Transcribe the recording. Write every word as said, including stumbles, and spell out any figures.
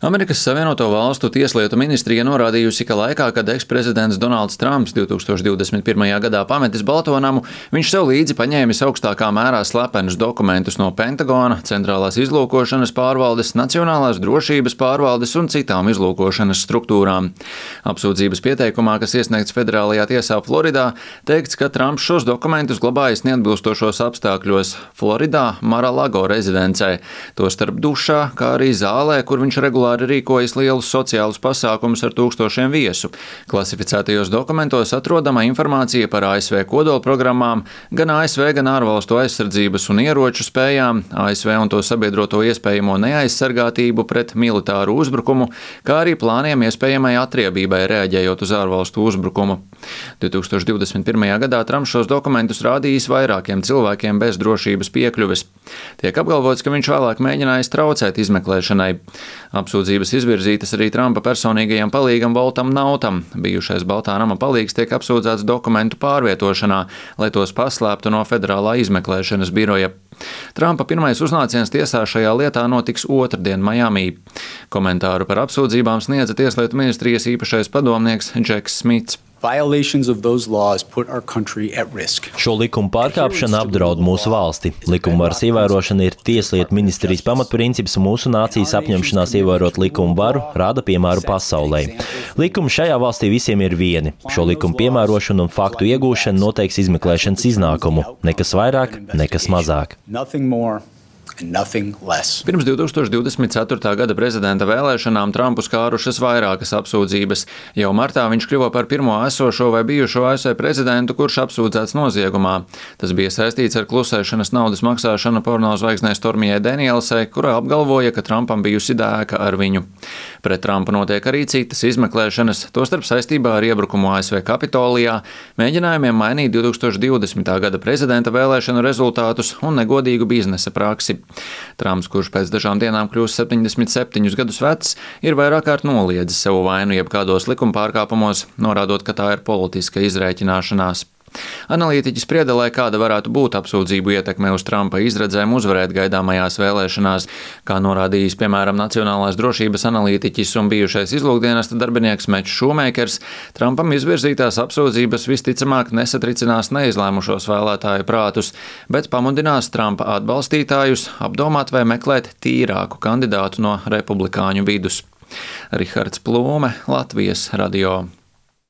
Amerikas Savienoto Valstu tieslietu ministrija norādījusi, ka laikā, kad eksprezidents Donalds Trumps divtūkstoš divdesmit pirmajā gadā pametis Balto namu, viņš sev līdzi paņēmis augstākā mērā slepenus dokumentus no Pentagona, Centrālās izlūkošanas pārvaldes, Nacionālās drošības pārvaldes un citām izlūkošanas struktūrām. Apsūdzības pieteikumā, kas iesniegts federālajā tiesā Floridā, teikts, ka Trumps šos dokumentus glabājis neatbilstošos apstākļos Floridā, Mar-a-Lago rezidencē, tostarp dušā, kā arī zālē, kur viņš regulāri rīkojas lielus sociālus pasākumus ar tūkstošiem viesu. Klasificētajos dokumentos atrodama informācija par A S V kodolprogrammām, gan A S V, gan ārvalstu aizsardzības un ieroču spējām, A S V un to sabiedroto iespējamo neaizsargātību pret militāru uzbrukumu, kā arī plāniem iespējamai atriebībai reaģējot uz ārvalstu uzbrukumu. divtūkstoš divdesmit pirmajā gadā Trumps šos dokumentus rādījis vairākiem cilvēkiem bez drošības piekļuves. Tiek apgalvots, ka viņš vēlāk mēģinājis traucēt izmeklēšanai. Apsūdzības izvirzītas arī Trumpa personīgajam palīgam Voltam Nautam. Bijušais Baltā nama palīgs tiek apsūdzēts dokumentu pārvietošanā, lai tos paslēptu no federālā izmeklēšanas biroja. Trumpa pirmais uznāciens tiesā šajā lietā notiks otrdien Majamī. Komentāru par apsūdzībām sniedza Tieslietu ministrijas īpašais padomnieks Džeks Smits. Šo likumu pārkāpšana apdraud mūsu valsti. Likumvaras ievērošana ir Tieslietu ministrijas pamatprincips, un mūsu nācijas apņemšanās ievērot likumu varu rāda piemēru pasaulē. Likumi šajā valstī visiem ir vieni. Šo likumu piemērošanu un faktu iegūšanu noteiks izmeklēšanas iznākumu. Nekas vairāk, nekas mazāk. Pirms divtūkstoš divdesmit ceturtā gada prezidenta vēlēšanām Trumpu skārušas vairākas apsūdzības. Jau martā viņš kļuva par pirmo esošo vai bijušo A S V prezidentu, kurš apsūdzēts noziegumā. Tas bija saistīts ar klusēšanas naudas maksāšanu pornozvaigznei Stormijai Danielsai, kurā apgalvoja, ka Trumpam bijusi dēka ar viņu. Pret Trumpu notiek arī citas izmeklēšanas, tostarp saistībā ar iebrukumu A S V Kapitolijā, mēģinājumiem mainīt divtūkstoš divdesmitā gada prezidenta vēlēšanu rezultātus un negodīgu biznesa praksi. Trumps, kurš pēc dažām dienām kļūs septiņdesmit septiņus gadus vecs, ir vairāk kārt noliedzis savu vainu jebkādos likuma pārkāpumos, norādot, ka tā ir politiska izrēķināšanās. Analītiķi sprieda, lai kāda varētu būt apsūdzību ietekme uz Trumpa izredzēm uzvarēt gaidāmajās vēlēšanās. Kā norādījis, piemēram, Nacionālās drošības analītiķis un bijušais izlūkdienesta darbinieks Mečs Šūmeikers, Trumpam izvirzītās apsūdzības visticamāk nesatricinās neizlēmušos vēlētāju prātus, bet pamudinās Trumpa atbalstītājus apdomāt vai meklēt tīrāku kandidātu no republikāņu vidus. Rihards Plūme, Latvijas radio.